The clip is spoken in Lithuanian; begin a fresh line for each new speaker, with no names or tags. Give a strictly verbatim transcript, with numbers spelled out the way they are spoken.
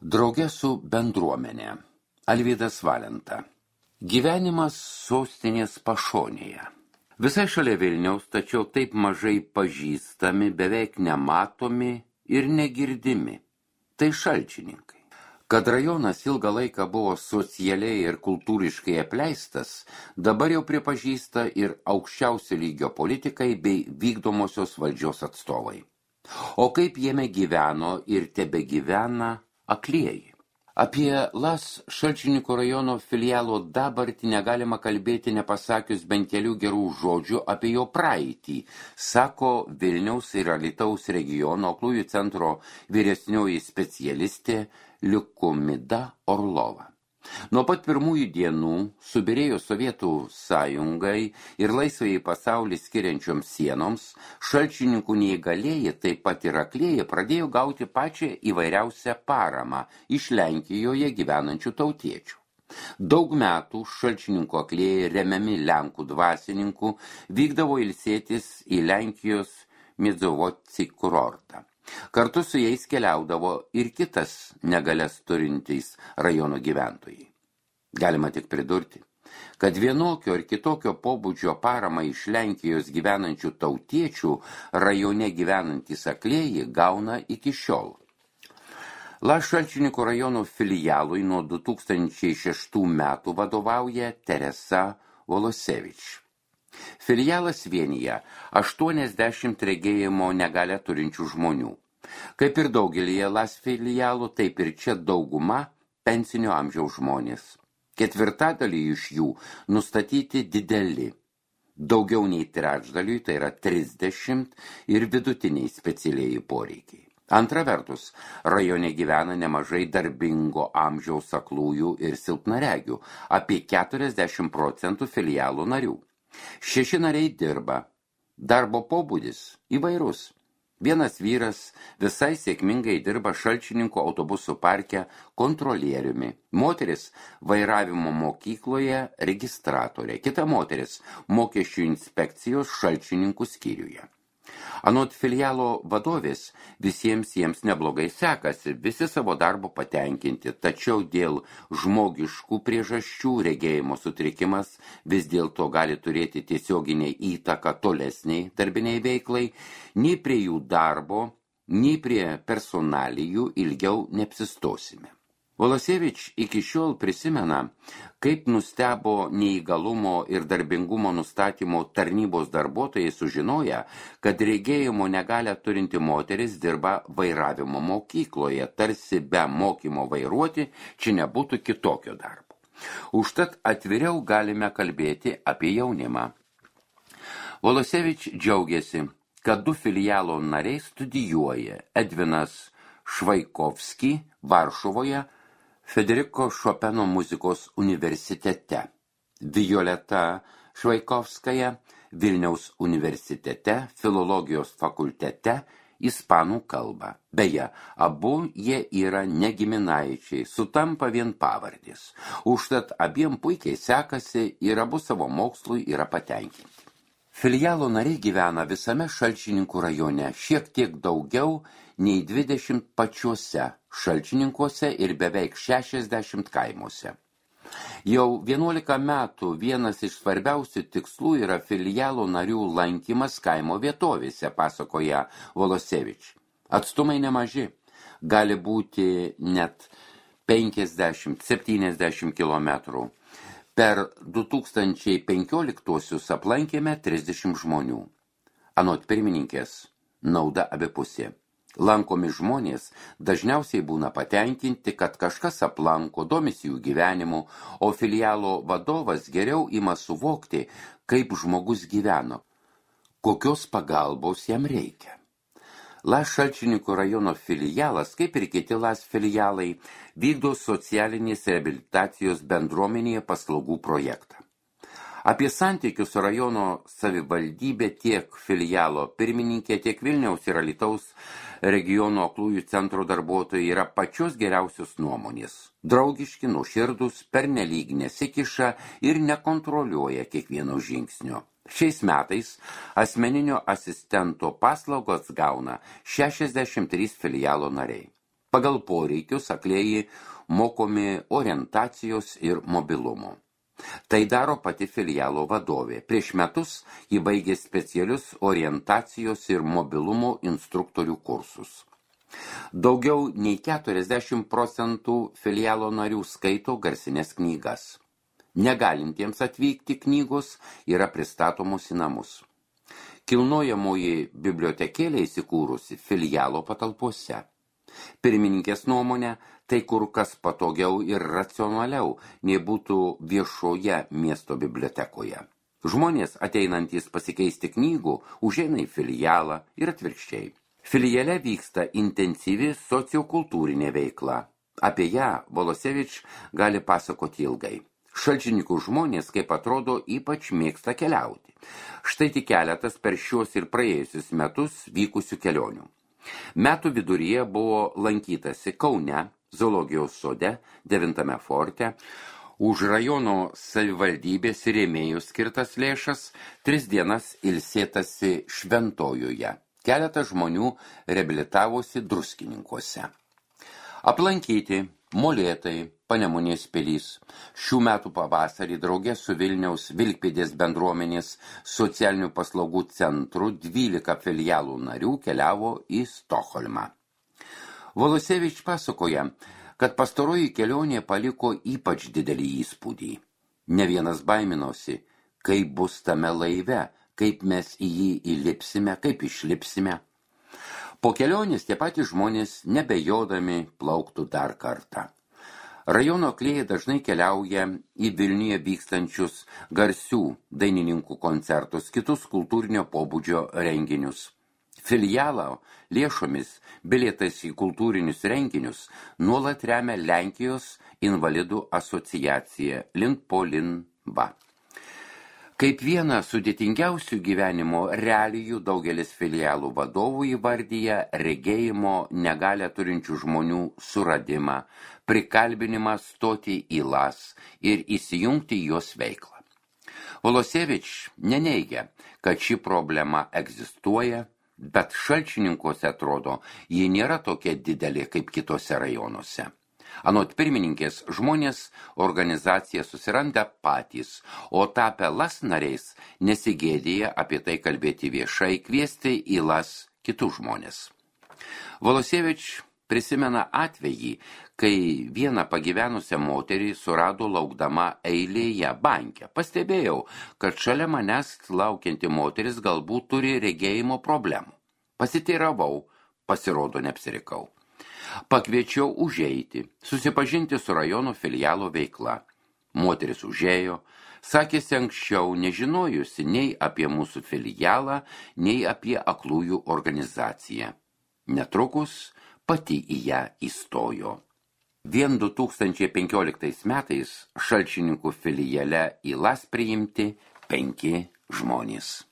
Drauge su bendruomenė. Alvydas Valenta. Gyvenimas sostinės pašonėje. Visai šalia Vilniaus, tačiau taip mažai pažįstami, beveik nematomi ir negirdimi. Tai Šalčininkai. Kad rajonas ilgą laiką buvo socialiai ir kultūriškai apleistas, dabar jau pripažįsta ir aukščiausio lygio politikai bei vykdomosios valdžios atstovai. O kaip jame gyveno ir tebegyvena aklieji. Apie Las Šalčininkų rajono filialo dabartį negalima kalbėti nepasakius bent kelių gerų žodžių apie jo praeitį, sako Vilniaus ir Alytaus regiono aklųjų centro vyresnioji specialistė Liukumida Orlova. Nuo pat pirmųjų dienų subyrėjo Sovietų sąjungai ir laisvai pasaulį skiriančioms sienoms, Šalčininkų neįgalieji, taip pat ir aklieji, pradėjo gauti pačią įvairiausią paramą iš Lenkijoje gyvenančių tautiečių. Daug metų Šalčininkų aklieji, remiami Lenkų dvasininkų, vykdavo ilsėtis į Lenkijos Miedzovoci kurortą. Kartu su jais keliaudavo ir kitas negalias turintys rajono gyventojai. Galima tik pridurti, kad vienokio ir kitokio pobūdžio paramą iš Lenkijos gyvenančių tautiečių rajone gyvenantys aklieji gauna iki šiol. Las Šalčininkų rajono filialui nuo du tūkstančiai šeštų metų vadovauja Teresa Volosevič. Filialas vienyje aštuoniasdešimt regėjimo negalią turinčių žmonių. Kaip ir daugelyje Las filialų, taip ir čia dauguma pensinio amžiaus žmonės. Ketvirtadalį iš jų nustatyti dideli. Daugiau nei trečdaliui, tai yra trisdešimt, ir vidutiniai specialieji poreikiai. Antra vertus, rajone gyvena nemažai darbingo amžiaus aklųjų ir silpnaregių, apie keturiasdešimt procentų filialų narių. Šeši nariai dirba. Darbo pobūdis įvairus. Vienas vyras visai sėkmingai dirba Šalčininkų autobusų parke kontrolieriumi. Moteris vairavimo mokykloje registratorė. Kita moteris mokesčių inspekcijos Šalčininkų skyriuje. Anot filialo vadovės, visiems jiems neblogai sekasi, visi savo darbo patenkinti, tačiau dėl žmogiškų priežasčių regėjimo sutrikimas vis dėlto gali turėti tiesioginę įtaką tolesniai darbiniai veiklai, nei prie jų darbo, nei prie personalijų ilgiau neapsistosime. Volosevič iki šiol prisimena, kaip nustebo neįgalumo ir darbingumo nustatymo tarnybos darbuotojai sužinoję, kad regėjimo negalią turinti moteris dirba vairavimo mokykloje, tarsi be mokymo vairuoti čia nebūtų kitokio darbo. Užtat atviriau galime kalbėti apie jaunimą. Volosevič džiaugiasi, kad du filialo nariai studijuoja: Edvinas Švaikovski Varšuvoje, Federiko Šopeno muzikos universitete, Violeta Švaikovskaja Vilniaus universitete, filologijos fakultete, ispanų kalbą. Beje, abu jie yra negiminaičiai, sutampa vien pavardės. Užtat abiem puikiai sekasi ir abu savo mokslui yra patenkinti. Filialo nariai gyvena visame Šalčininkų rajone, šiek tiek daugiau nei dvidešimt pačiuose Šalčininkuose ir beveik šešiasdešimt kaimuose. Jau vienuolika metų vienas iš svarbiausių tikslų yra filialo narių lankymas kaimo vietovėse, pasakoja Volosevič. Atstumai nemaži, gali būti net penkiasdešimt septyniasdešimt kilometrų. Per du tūkstančiai penkioliktuosius aplankėme trisdešimt žmonių. Anot pirmininkės, nauda abipusė. Lankomi žmonės dažniausiai būna patenkinti, kad kažkas aplanko, domisi jų gyvenimu, o filialo vadovas geriau ima suvokti, kaip žmogus gyveno, kokios pagalbos jam reikia. Las Šalčininkų rajono filialas, kaip ir kiti Las filialai, vykdo socialinės reabilitacijos bendruomenėje paslaugų projektą. Apie santykius su rajono savivaldybė tiek filialo pirmininkė, tiek Vilniaus ir Alytaus regiono aklųjų centro darbuotojai yra pačios geriausios nuomonės. Draugiški, nuoširdūs, pernelyg nesikiša ir nekontroliuoja kiekvieno žingsnio. Šiais metais asmeninio asistento paslaugos gauna šešiasdešimt trys filialo nariai. Pagal poreikius aklieji mokomi orientacijos ir mobilumo. Tai daro pati filialo vadovė. Prieš metus ji baigė specialius orientacijos ir mobilumo instruktorių kursus. Daugiau nei keturiasdešimt procentų filialo narių skaito garsines knygas. Negalintiems atvykti knygos yra pristatomos į namus. Kilnojamoji bibliotekėlė įsikūrusi filialo patalpose. Pirmininkės nuomonė, tai kur kas patogiau ir racionaliau, nei būtų viešoje miesto bibliotekoje. Žmonės, ateinantys pasikeisti knygų, užeina į filialą ir atvirkščiai. Filiale vyksta intensyvi sociokultūrinė veikla. Apie ją Volosevič gali pasakoti ilgai. Šalčininkų žmonės, kaip atrodo, ypač mėgsta keliauti. Štai tik keletas per šios ir praėjusius metus vykusių kelionių. Metų viduryje buvo lankytasi Kaune, zoologijos sode, devintame forte, už rajono savivaldybės rėmėjų skirtas lėšas, tris dienas ilsėtasi Šventojoje. Keletą žmonių reabilitavosi Druskininkuose. Aplankyti Molėtai, Panemunės pilys. Šių metų pavasarį drauge su Vilniaus Vilkpėdės bendruomenės socialinių paslaugų centru dvylika filialų narių keliavo į Stokholmą. Volosevič pasakoja, kad pastaroji kelionė paliko ypač didelį įspūdį. Ne vienas baiminosi, kaip bus tame laive, kaip mes į jį įlipsime, kaip išlipsime. Po kelionės tie patys žmonės nebejodami plauktų dar kartą. Rajono aklieji dažnai keliauja į Vilniuje vykstančius garsių dainininkų koncertus, kitus kultūrinio pobūdžio renginius. Filialo lėšomis bilietais į kultūrinius renginius nuolat remia Lenkijos invalidų asociacija Link-po-Lin-va. Kaip vieną sudėtingiausių gyvenimo realijų daugelis filialų vadovų įvardyja regėjimo negalią turinčių žmonių suradimą, prikalbinimą stoti į las ir įsijungti į jos veiklą. Volosevič neneigia, kad ši problema egzistuoja, bet Šalčininkuose atrodo, ji nėra tokia didelė kaip kitose rajonuose. Anot pirmininkės, žmonės organizaciją susiranda patys, o tapę las nariais nesigėdėja apie tai kalbėti viešai, kviesti į las kitus žmonės. Volosevič prisimena atvejį, kai vieną pagyvenusią moterį surado laukdama eilėje banke. Pastebėjau, kad šalia manęs laukianti moteris galbūt turi regėjimo problemų. Pasiteiravau, pasirodo neapsirikau. Pakviečiau užeiti, susipažinti su rajono filialo veikla. Moteris užėjo, sakėsi anksčiau nežinojusi nei apie mūsų filialą, nei apie aklųjų organizaciją. Netrukus pati į ją įstojo. Vien du tūkstančiai penkioliktais metais Šalčininkų filiale į las priimti penki žmonės.